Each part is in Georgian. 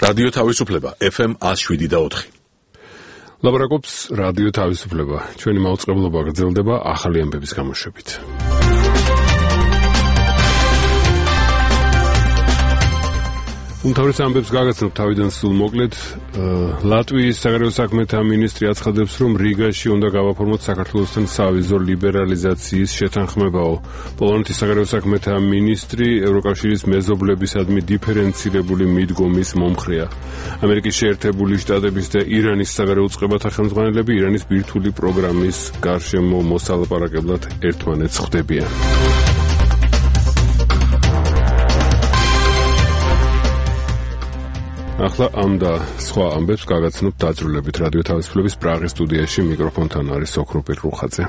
რადიო თავისუფლება FM 107.4. ლაპარაკობს რადიო თავისუფლება. ჩვენი მაუწყებლობა გრძელდება ახალი ამბების გამოშვებით. უმთავრეს ამბებს გაგაცნობთ თავიდან სულ მოკლედ. ლატვიის საგარეო საქმეთა მინისტრი აცხადებს, რომ რიგაში უნდა გავაფორმოთ საქართველოსთან სავიზო ლიბერალიზაციის შეთანხმებაო. პოლონეთის საგარეო საქმეთა მინისტრი ევროკავშირის მეზობლებისადმი დიფერენცირებული მიდგომის მომხრეა. ამერიკის შეერთებული შტატების და ირანის საგარეო უწყებათა ხელმძღვანელები ირანის ბირთვული პროგრამის გარშემო მოსალაპარაკებლად ერთმანეთს ხვდებიან. ახლა ამ და სხვა ამბებს გაგაცნობთ დაძრულებით რადიო თავისუფლების პრაღის სტუდიაში მიკროფონთან არის ოქროპირ რუხაძე.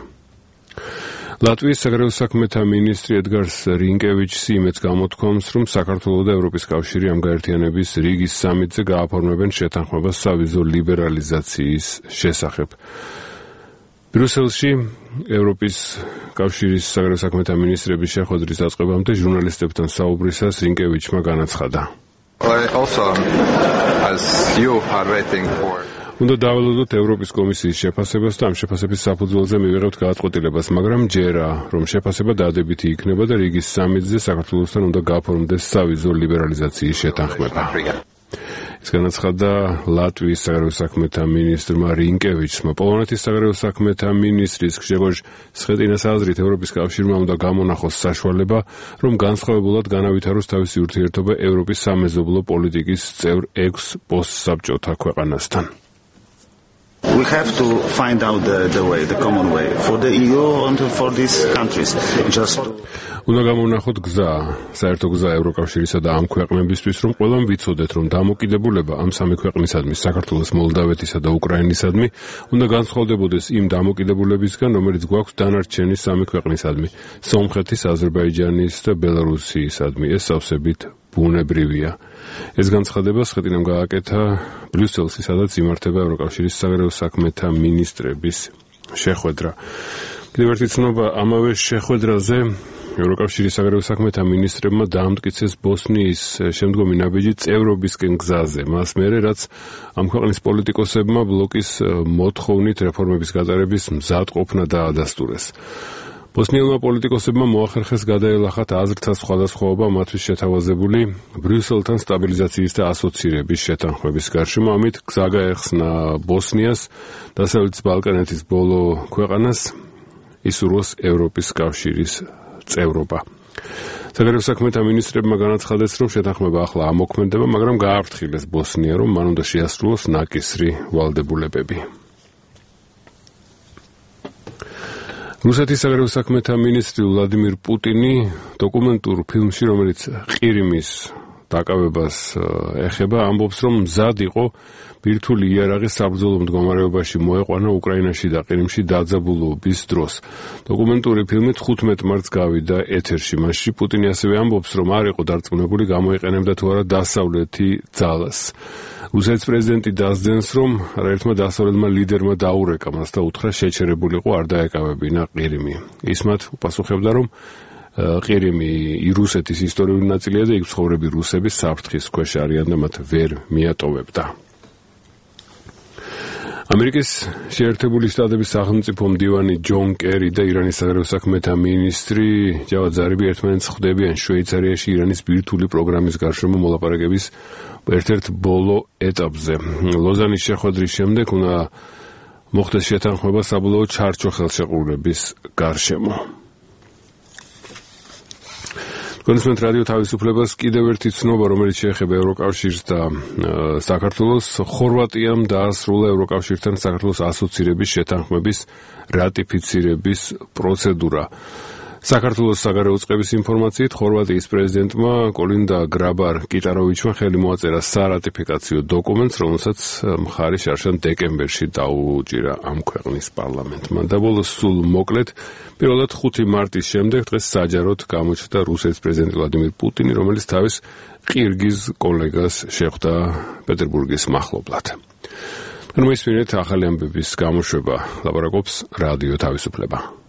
ლატვიის საგარეო საქმეთა მინისტრი ედგარს რინკევიჩსი იმედს გამოთქვამს, რომ საქართველო და ევროპის კავშირი ამ გაერთიანების რიგის სამიტზე გააფორმებენ შეთანხმებას სავიზო ლიბერალიზაციის შესახებ. ბრიუსელში ევროპის კავშირის საგარეო საქმეთა მინისტრების შეხვედრის დაწყებამდე ჟურნალისტებთან საუბრისას რინკევიჩმა განაცხადა. უნდა დაველოდოთ ევროპის კომისიის შეფასებას და ამ შეფასების საფუძველზე მივიღებთ გადაწყვეტილებას, მაგრამ ჯერა, რომ შეფასება დადებითი იქნება და რიგის სამიტზე საქართველოსთან უნდა გაფორმდეს სავიზო ლიბერალიზაციის შეთანხმება. ეს განაცხადა ლატვიის საგარეო საქმეთა მინისტრმა რინკევიჩმა. პოლონეთის საგარეო საქმეთა მინისტრის გჟეგოჟ სხეტინას აზრით ევროპის კავშირმა უნდა გამონახოს საშუალება, რომ განსხვავებულად განავითაროს თავისი ურთიერთობა ევროპის სამეზობლო პოლიტიკის წევრ 6 პოსტსაბჭოთა ქვეყანასთან. We have to find out the way, the common way for the EU and for these countries. უნდა გამოვნახოთ გზა, საერთო გზა ევროკავშირისა და ამ ქვეყნებისთვის, რომ ყველამ ვიცოდეთ, რომ დამოკიდებულება ამ სამი ქვეყნისადმი, საქართველოს, მოლდავეთისა და უკრაინისადმი, უნდა განსხვავდებოდეს იმ დამოკიდებულებისგან, რომელიც გვაქვს დანარჩენი სამი ქვეყნისადმი, სომხეთის, აზერბაიჯანის და ბელარუსიისადმი. ეს სავსებით ბუნებრივია. ეს განცხადება სხეტინამ გააკეთა ბრიუსელში, სადაც იმართება ევროკავშირის საგარეო საქმეთა მინისტრების შეხვედრა. კიდევ ერთი ცნობა ამავე შეხვედრაზე ევროკავშირის საგარეო საქმეთა მინისტრებმა დაამტკიცეს ბოსნიის შემდგომი ნაბიჯი წევრობისკენ გზაზე. მას მერე, რაც ამ ქვეყნის პოლიტიკოსებმა ბლოკის მოთხოვნით რეფორმების გატარების მზადყოფნა დაადასტურეს. ბოსნიელმა პოლიტიკოსებმა მოახერხეს გადაელახათ აზრთა სხვადასხვაობა მათთვის შეთავაზებული ბრიუსელთან სტაბილიზაციის და ასოცირების შეთანხმების გარშემო. ამით გზა გაეხსნა ბოსნიას, დასავლეთის ბალკანეთის ბოლო ქვეყანას ისურვოს ევროპის კავშირის წევრობა. საგარეო საქმეთა მინისტრებმა განაცხადეს, რომ შეთანხმება ახლა ამოქმედება, მაგრამ გააფრთხილეს ბოსნია, რომ მან უნდა შეასრულოს ნაკისრი ვალდებულებები. რუსეთის საგარეო საქმეთა მინისტრი ვლადიმირ პუტინი დოკუმენტურ ფილმში, რომელიც ყირიმის დაკავებას ეხება, ამბობს, რომ მზად იყო ბირთვული იარაღი საბრძოლო მდგომარეობაში მოეყვანა უკრაინაში და ყირიმში დაძაბულობის დროს. დოკუმენტური ფილმი 15 მარტს გავიდა ეთერში. მასში პუტინი ასევე ამბობს, რომ არ იყო დარწმუნებული გამოიყენებდა თუ არა დასავლეთი ძალას. რუსეთის პრეზიდენტი დასძენს, რომ არაერთმა დასავლეთმა ლიდერმა დაურეკა მას და უთხრა შეჩერებულიყო არ დაეკავებინა ყირიმი. ის მათ უპასუხებდა, რომ ყირიმი რუსეთის ისტორიული ნაწილია და იქ ცხოვრები რუსები საფრთხის ქვეშ არიან და მათ ვერ მიატოვებდა. ამერიკის შეერთებული შტატების სახელმწიფო მდივანი ჯონ კერი და ირანის საგარეო საქმეთა მინისტრი ჯავად ზარიფი ერთმანეთს ხვდებიან შვეიცარიაში ირანის ბირთვული პროგრამის გარშემო მოლაპარაკების ერთ-ერთ ბოლო ეტაპზე. ლოზანის შეხვედრის შემდეგ უნდა მოხდეს შეთანხმება საბოლოო ჩარჩო ხელშეკრულების გარშემო. კონსუმენტ რადიო თავისუფლებას კიდევ ერთი ცნობა, რომელიც შეეხება ევროკავშირს და საქართველოს. ხორვატიამ დაასრულა ევროკავშირთან საქართველოს ასოცირების შეთანხმების რატიფიცირების პროცედურა. საქართველოს საგარეო წყების ინფორმაციით, ხორვატიის პრეზიდენტმა კოლინდა გრაბარ-კიტაროვიჩმა ხელი მოაწერა სარატიფიკაციო დოკუმენტს, რომელსაც მხარი შარშან დეკემბერში დაუჭირა ამ ქვეყნის პარლამენტმა. და ბოლოს სულ მოკლედ, პირველად 5 მარტის შემდეგ დღეს საჯაროდ გამოჩნდა რუსეთის პრეზიდენტი ვლადიმირ პუტინი, რომელიც თავის ყირგიზ კოლეგას შეხვდა პეტერბურგის მახლობლად. მოისმინეთ ახალი ამბების გამოშვება, ლაპარაკობს რადიო თავისუფლება.